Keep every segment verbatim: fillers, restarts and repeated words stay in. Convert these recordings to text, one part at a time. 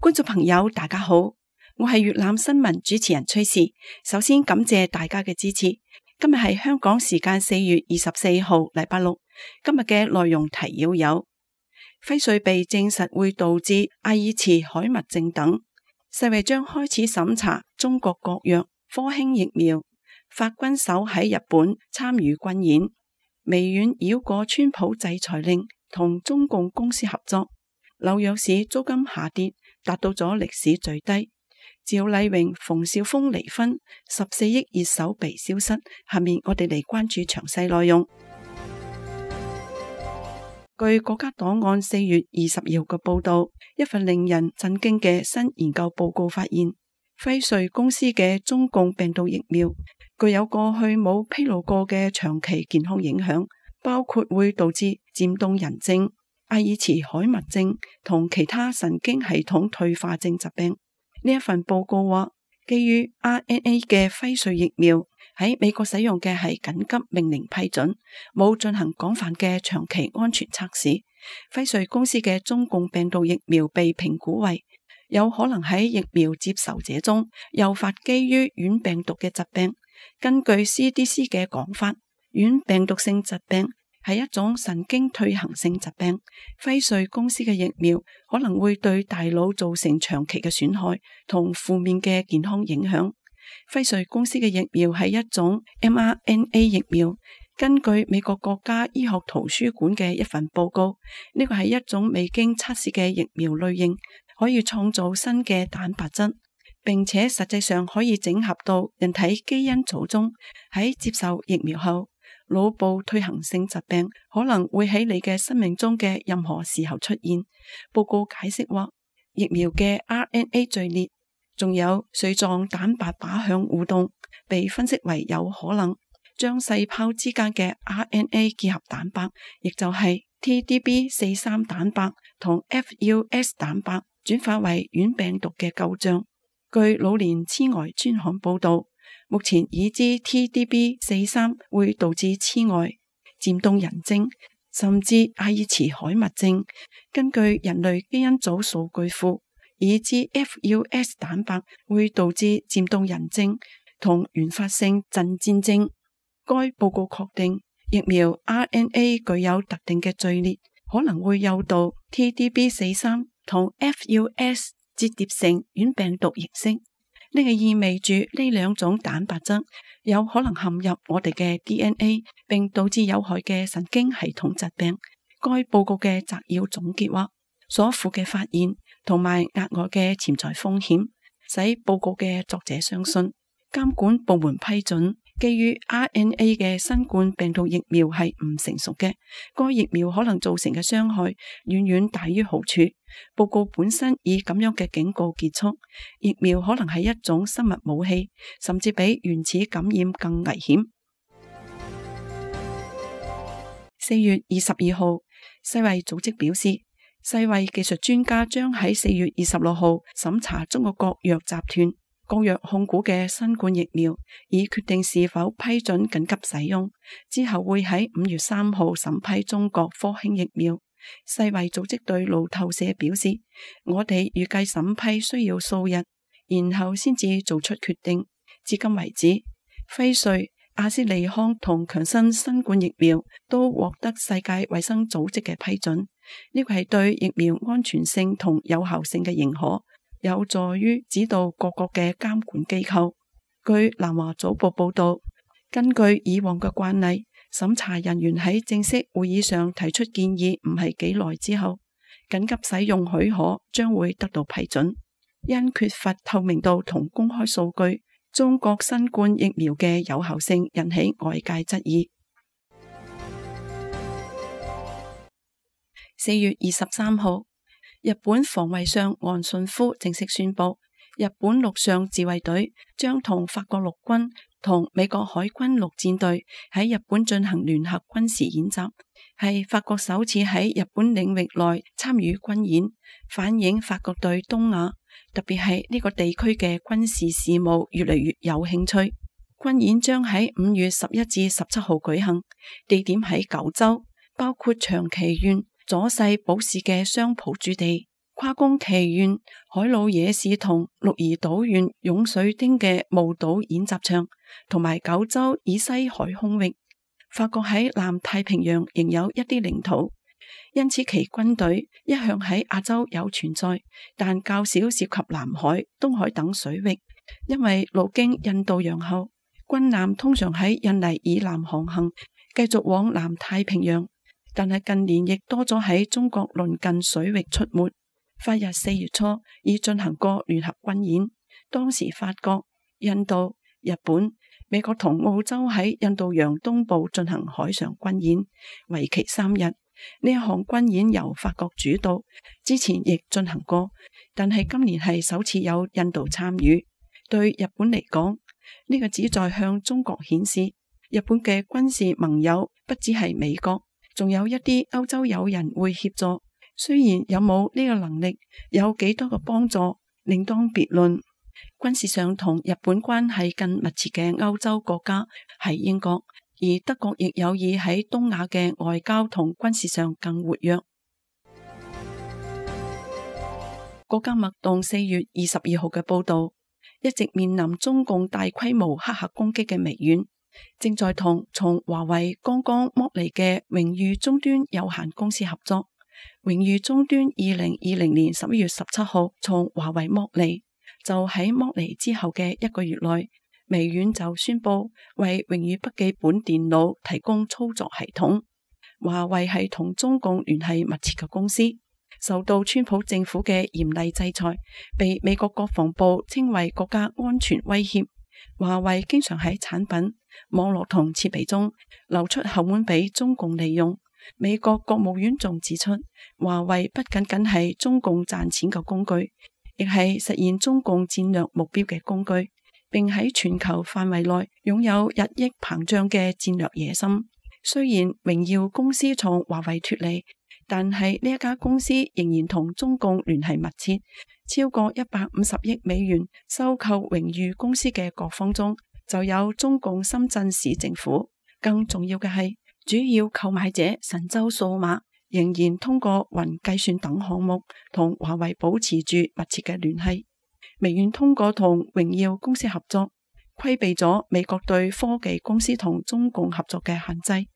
觀眾朋友大家好，我係粵覽新聞主持人崔氏。首先感謝大家嘅支持。今日係香港時間四月二十四號禮拜六。今日嘅內容提要有：輝瑞被證實會導致阿爾茨海默症等。世衛將開始審查中國國藥科興疫苗。法軍首喺日本參與軍演。微軟繞過川普制裁令，同中共公司合作。紐約市租金下跌，達到咗歷史最低。趙麗穎、馮紹峰離婚，十四億熱搜被消失。下面我哋嚟關注詳細內容。據國家檔案四月二十號嘅報道，一份令人震驚嘅新研究報告發現，輝瑞公司嘅中共病毒疫苗具有過去冇披露過嘅長期健康影響，包括會導致漸凍人症、阿爾茨海默症同其他神經系統退化症疾病。呢一份報告話，基於 R N A 嘅輝瑞疫苗喺美國使用嘅係緊急命令批准，冇進行廣泛嘅長期安全測試。輝瑞公司嘅中共病毒疫苗被評估為有可能喺疫苗接受者中誘發基於軟病毒嘅疾病。根據 C D C 嘅講法，軟病毒性疾病係一種神經退行性疾病。輝瑞公司嘅疫苗可能會對大腦造成長期嘅損害同負面嘅健康影響。輝瑞公司嘅疫苗係一種 M R N A 疫苗。根據美國國家醫學圖書館嘅一份報告，呢個係一種未經測試嘅疫苗類型，可以創造新嘅蛋白質，並且實際上可以整合到人體基因組中。喺接受疫苗後，腦部退行性疾病可能會喺你嘅生命中嘅任何時候出現。報告解釋話，疫苗嘅 R N A 序列仲有髓狀蛋白靶向互動，被分析為有可能將細胞之間嘅 R N A 結合蛋白，亦就係 T D B 四十三 蛋白同 F U S 蛋白轉化為軟病毒嘅構象。據老年痴呆專刊報道，目前已知 T D B 四十三 會導致痴呆、漸凍人症，甚至阿爾茨海默症。根據人類基因組數據庫，已知 F U S 蛋白會導致漸凍人症同原發性陣顫症。該報告確定疫苗 R N A 具有特定嘅序列，可能會誘導 T D B 四十三 同 F U S 折疊成軟病毒形式。呢個意味住呢兩種蛋白質有可能陷入我哋嘅 D N A， 並導致有害嘅神經系統疾病。該報告嘅摘要總結話，所附嘅發現同埋額外嘅潛在風險，使報告嘅作者相信監管部門批准基於 R N A 嘅新冠病毒疫苗係唔成熟嘅。該疫苗可能造成嘅傷害遠遠大於好處。報告本身以咁樣嘅警告結束，疫苗可能係一種生物武器，甚至比原始感染更危險。四月二十二號，世衛組織表示，世衛技術專家將喺四月二十六號審查中國國藥集團國藥控股嘅新冠疫苗，以決定是否批准緊急使用。之後會喺五月三號審批中國科興疫苗。世衛組織對路透社表示，我哋預計審批需要數日，然後先至做出決定。至今為止，輝瑞、阿斯利康同強生新冠疫苗都獲得世界衛生組織嘅批准。呢個係對疫苗安全性同有效性嘅認可，有助於指導各國嘅監管機構。據南華早報報道，根據以往嘅慣例，審查人員喺正式會議上提出建議唔係幾耐之後，緊急使用許可將會得到批准。因缺乏透明度同公開數據，中國新冠疫苗嘅有效性引起外界質疑。四月二十三號，日本防衛相岸信夫正式宣布，日本陸上自衛隊將同法國陸軍同美國海軍陸戰隊喺日本進行聯合軍事演習，係法國首次喺日本領域內參與軍演，反映法國對東亞，特別係呢個地區嘅軍事事務越嚟越有興趣。軍演將喺五月十一至十七號舉行，地點喺九州，包括長崎縣、佐世保市嘅相浦駐地、跨宮崎縣、海魯野市同鹿兒島縣湧水町嘅霧島演習場，同埋九州以西海空域。法國喺南太平洋仍有一啲領土，因此其軍隊一向喺亞洲有存在，但較少涉及南海、東海等水域。因為路經印度洋後，軍艦通常喺印尼以南航行，繼續往南太平洋。但係近年亦多咗喺中國鄰近水域出沒。法日四月初已進行過聯合軍演，當時法國、印度、日本、美國同澳洲喺印度洋東部進行海上軍演，為期三日。呢一項軍演由法國主導，之前亦進行過，但係今年係首次有印度參與。對日本嚟講，呢個旨在向中國顯示，日本嘅軍事盟友不只係美國，仲有一啲歐洲友人會協助。雖然有冇呢個能力，有幾多個幫助，另當別論。軍事上同日本關係更密切嘅歐洲國家係英國，而德國亦有意喺東亞嘅外交同軍事上更活躍。國家脈動四月二十二號嘅報道，一直面臨中共大規模黑客攻擊嘅微軟，正在同從華為剛剛剝離嘅榮譽終端有限公司合作。榮譽終端二零二零年十一月十七號從華為剝離，就喺剝離之後嘅一個月內，微軟就宣布為榮譽筆記本電腦提供操作系統。華為係同中共聯繫密切嘅公司，受到川普政府嘅嚴厲制裁，被美國國防部稱為國家安全威脅。華為經常喺產品、網絡同設備中流出後門俾中共利用。美國國務院仲指出，華為不僅僅係中共賺錢嘅工具，亦係實現中共戰略目標嘅工具，並喺全球範圍內擁有日益膨脹嘅戰略野心。雖然榮耀公司從華為脫離，但係呢一家公司仍然同中共聯繫密切。超過一百五十億美元收購榮譽公司嘅各方中，就有中共深圳市政府。更重要嘅係，主要購買者神州數碼仍然通過雲計算等項目同華為保持住密切嘅聯繫。微軟通過同榮耀公司合作，規避咗美國對科技公司同中共合作嘅限制。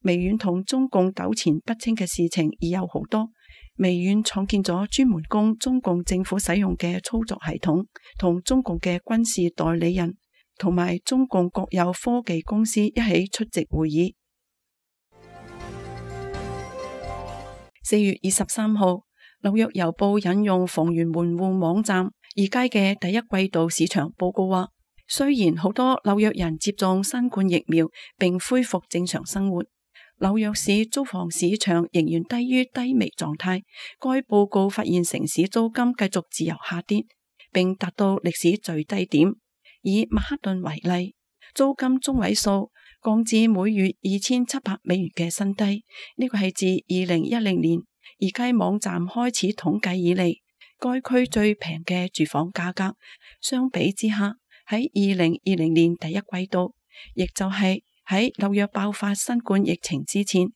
微軟同中共糾纏不清嘅事情已有好多。微軟創建咗專門供中共政府使用嘅操作系統，同中共嘅軍事代理人同埋中共國有科技公司一起出席會議。四月二十三號，紐約郵報引用房源門戶網站二階嘅第一季度市場報告話，雖然好多紐約人接種新冠疫苗並恢復正常生活，紐約市租房市場仍然低於低迷狀態。該報告發現城市租金繼續自由下跌，並達到歷史最低點。以曼哈頓為例，租金中位數降至每月二千七百美元嘅新低，呢個係自二零一零年二階網站開始統計以嚟，該區最平嘅住房價格。相比之下，喺二零二零年第一季度，亦就係喺紐約爆發新冠疫情之前，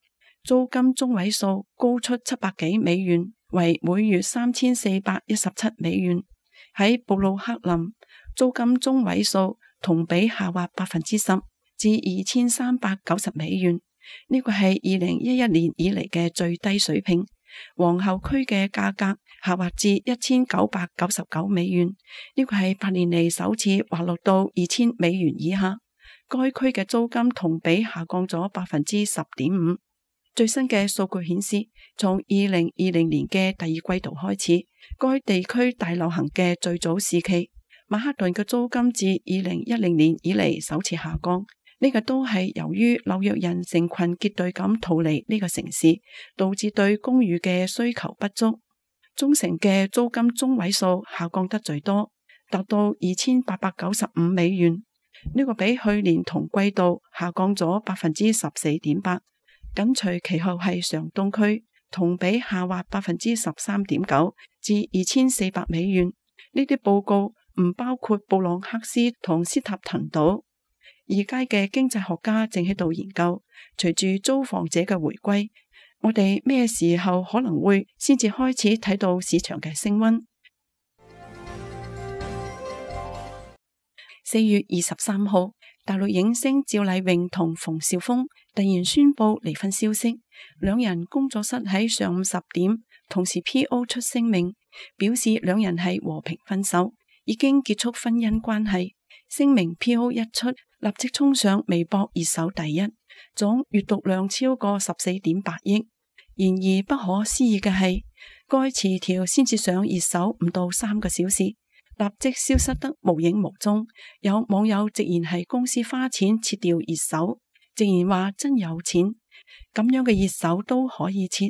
租金中位數高出七百幾美元，為每月三千四百一十七美元。喺布魯克林，租金中位數同比下滑百分之十，至二千三百九十美元，呢個係二零一一年以嚟嘅最低水平。皇后區嘅價格下滑至一千九百九十九美元，呢個係八年嚟首次滑落到二千美元以下。該區嘅租金同比下降咗百分之十點五。最新嘅數據顯示，從二零二零年嘅第二季度開始，該地區大流行嘅最早時期，曼哈頓嘅租金自二零一零年以嚟首次下降。呢個都係由於紐約人成群結隊咁逃離呢個城市，導致對公寓嘅需求不足。中城嘅租金中位數下降得最多，達到二千八百九十五美元，呢個比去年同季度下降咗百分之十四點八。緊隨其後係上東區，同比下滑百分之十三點九，至二千四百美元。呢啲報告唔包括布朗克斯同斯塔滕島。二階嘅經濟學家正喺度研究，隨住租房者嘅回歸，我哋咩時候可能會先至開始睇到市場嘅升溫？四月二十三號，大陸影星趙麗穎同馮紹峰突然宣布離婚消息，兩人工作室喺上午十點同時 P O 出聲明，表示兩人係和平分手，已經結束婚姻關係。聲明 P O 一出，立即衝上微博熱搜第一，總閱讀量超過十四點八億。然而不可思議嘅係，該詞條先至上熱搜唔到三個小時，立即消失得無影無蹤。有網友直言係公司花錢撤掉熱搜，直言話真有錢，咁樣嘅熱搜都可以撤。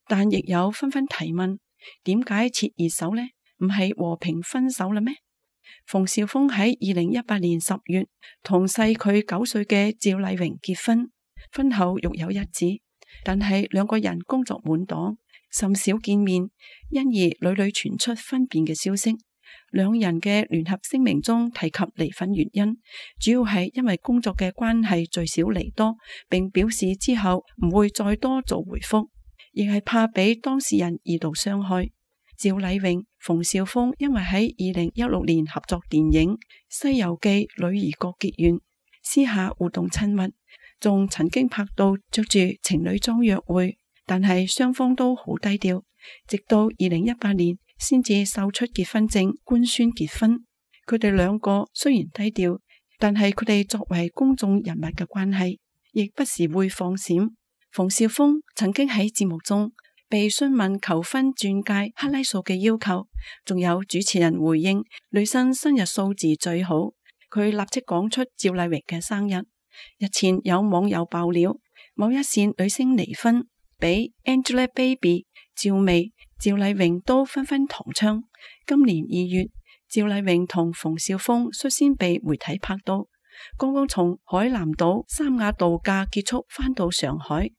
但亦有紛紛提問，點解撤熱搜呢？唔係和平分手啦咩？馮紹峰喺二零一八年十月同細佢九歲嘅趙麗穎結婚，婚後育有一子，但係兩個人工作滿檔，甚少見面，因而屢屢傳出分辨嘅消息。兩人嘅聯合聲明中提及離婚原因，主要係因為工作嘅關係聚少離多，並表示之後唔會再多做回覆，亦係怕俾當事人二度傷害。趙麗穎、馮紹峰因為喺二零一六年合作電影《西遊記》女兒國結緣，私下互動親密，仲曾經拍到着住情侶裝約會，但係雙方都好低調，直到二零一八年先至秀出結婚證官宣結婚。佢哋兩個雖然低調，但係佢哋作為公眾人物嘅關係，亦不時會放閃。馮紹峰曾經喺節目中被詢問求婚鑽戒克拉數嘅要求，仲有主持人回應女生生日數字最好，佢立即講出趙麗穎嘅生日。日前有網友爆料，某一線女星離婚，比 Angelababy、趙薇、趙麗穎都紛紛同窗。今年二月，趙麗穎同馮紹峰率先被媒體拍到，剛剛從海南島三亞度假結束，返到上海。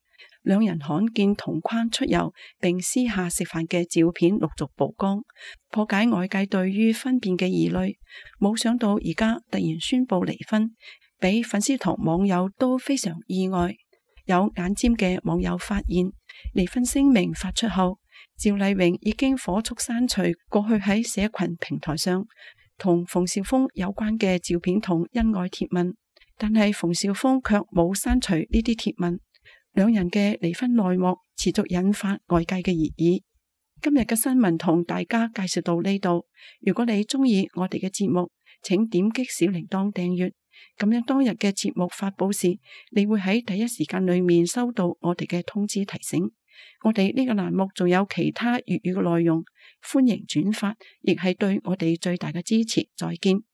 兩人罕見同框出遊並私下食飯嘅照片陸續曝光，破解外界對於分辨嘅疑慮。冇想到而家突然宣布離婚，俾粉絲同網友都非常意外。有眼尖嘅網友發現，離婚聲明發出後，趙麗穎已經火速刪除過去喺社群平台上同馮紹峰有關嘅照片同恩愛貼文，但係馮紹峰卻冇刪除呢啲貼文。兩人嘅離婚內幕持續引發外界嘅熱議。今日嘅新聞同大家介紹到呢度。如果你鍾意我哋嘅節目，請點擊小鈴鐺訂閱，咁樣當日嘅節目發佈時，你會喺第一時間裏面收到我哋嘅通知提醒。我哋呢個欄目仲有其他粵語嘅內容，歡迎轉發，亦係對我哋最大嘅支持。再見。